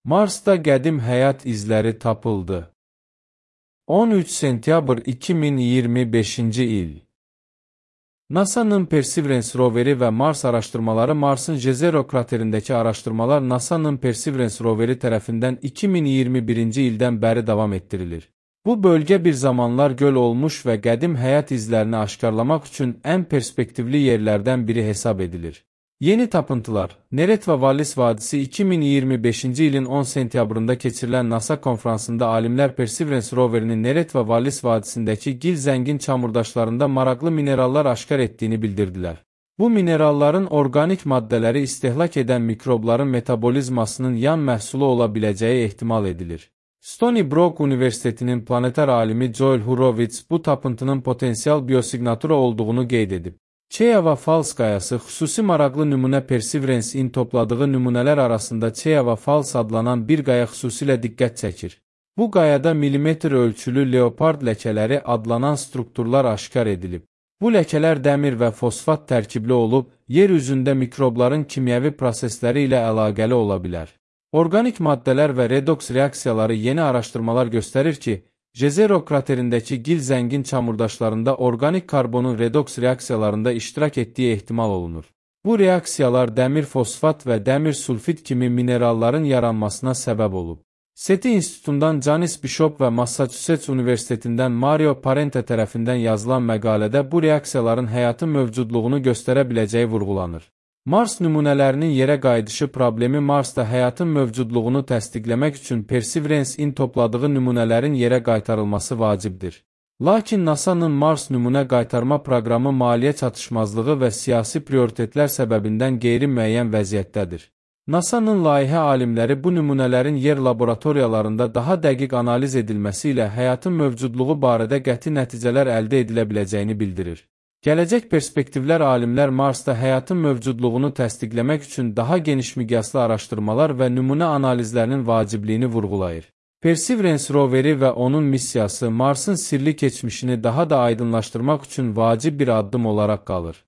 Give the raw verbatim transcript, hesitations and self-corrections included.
Marsda qədim həyat izləri tapıldı. on üç sentyabr iki min iyirmi beşinci il. NASA'nın Perseverance roveri və Mars araşdırmaları Marsın Jezero kraterindəki araşdırmalar NASA'nın Perseverance roveri tərəfindən iki min iyirmi birinci ildən bəri davam etdirilir. Bu bölgə bir zamanlar göl olmuş və qədim həyat izlərini aşkarlamaq üçün ən perspektivli yerlərdən biri hesab edilir. Yeni tapıntılar, Neretva Wallis vadisi iki min iyirmi beşinci ilin on sentyabrında keçirilən NASA konfransında alimlər Perseverance roverinin Neretva Wallis vadisindəki gil zəngin çamurdaşlarında maraqlı minerallar aşkar etdiyini bildirdilər. Bu mineralların orqanik maddələri istehlak edən mikrobların metabolizmasının yan məhsulu ola biləcəyi ehtimal edilir. Stony Brook Universitetinin planetar alimi Joel Horowitz bu tapıntının potensial biosignatura olduğunu qeyd edib. Çeyava Falls qayası xüsusi maraqlı nümunə Perseverance-in topladığı nümunələr arasında Çeyava Falls adlanan bir qaya xüsusilə diqqət çəkir. Bu qayada milimetr ölçülü leopard ləkələri adlanan strukturlar aşkar edilib. Bu ləkələr dəmir və fosfat tərkibli olub, yer üzündə mikrobların kimyəvi prosesləri ilə əlaqəli ola bilər. Orqanik maddələr və redoks reaksiyaları yeni araşdırmalar göstərir ki, Jezero kraterindəki gil zəngin çamurdaşlarında orqanik karbonun redoks reaksiyalarında iştirak etdiyi ehtimal olunur. Bu reaksiyalar dəmir fosfat və dəmir sulfit kimi mineralların yaranmasına səbəb olub. SETI İnstitutundan Janis Bishop və Massachusetts Universitetindən Mario Parente tərəfindən yazılan məqalədə bu reaksiyaların həyatın mövcudluğunu göstərə biləcəyi vurğulanır. Mars nümunələrinin yerə qayıdışı problemi Marsda həyatın mövcudluğunu təsdiqləmək üçün Perseverance-in topladığı nümunələrin yerə qaytarılması vacibdir. Lakin NASA'nın Mars nümunə qaytarma proqramı maliyyə çatışmazlığı və siyasi prioritetlər səbəbindən qeyri-müəyyən vəziyyətdədir. NASA'nın layihə alimləri bu nümunələrin yer laboratoriyalarında daha dəqiq analiz edilməsi ilə həyatın mövcudluğu barədə qəti nəticələr əldə edilə biləcəyini bildirir. Gələcək perspektivlər alimlər Marsda həyatın mövcudluğunu təsdiqləmək üçün daha geniş miqyaslı araşdırmalar və nümunə analizlərinin vacibliyini vurğulayır. Perseverance roveri və onun missiyası Marsın sirli keçmişini daha da aydınlaşdırmaq üçün vacib bir addım olaraq qalır.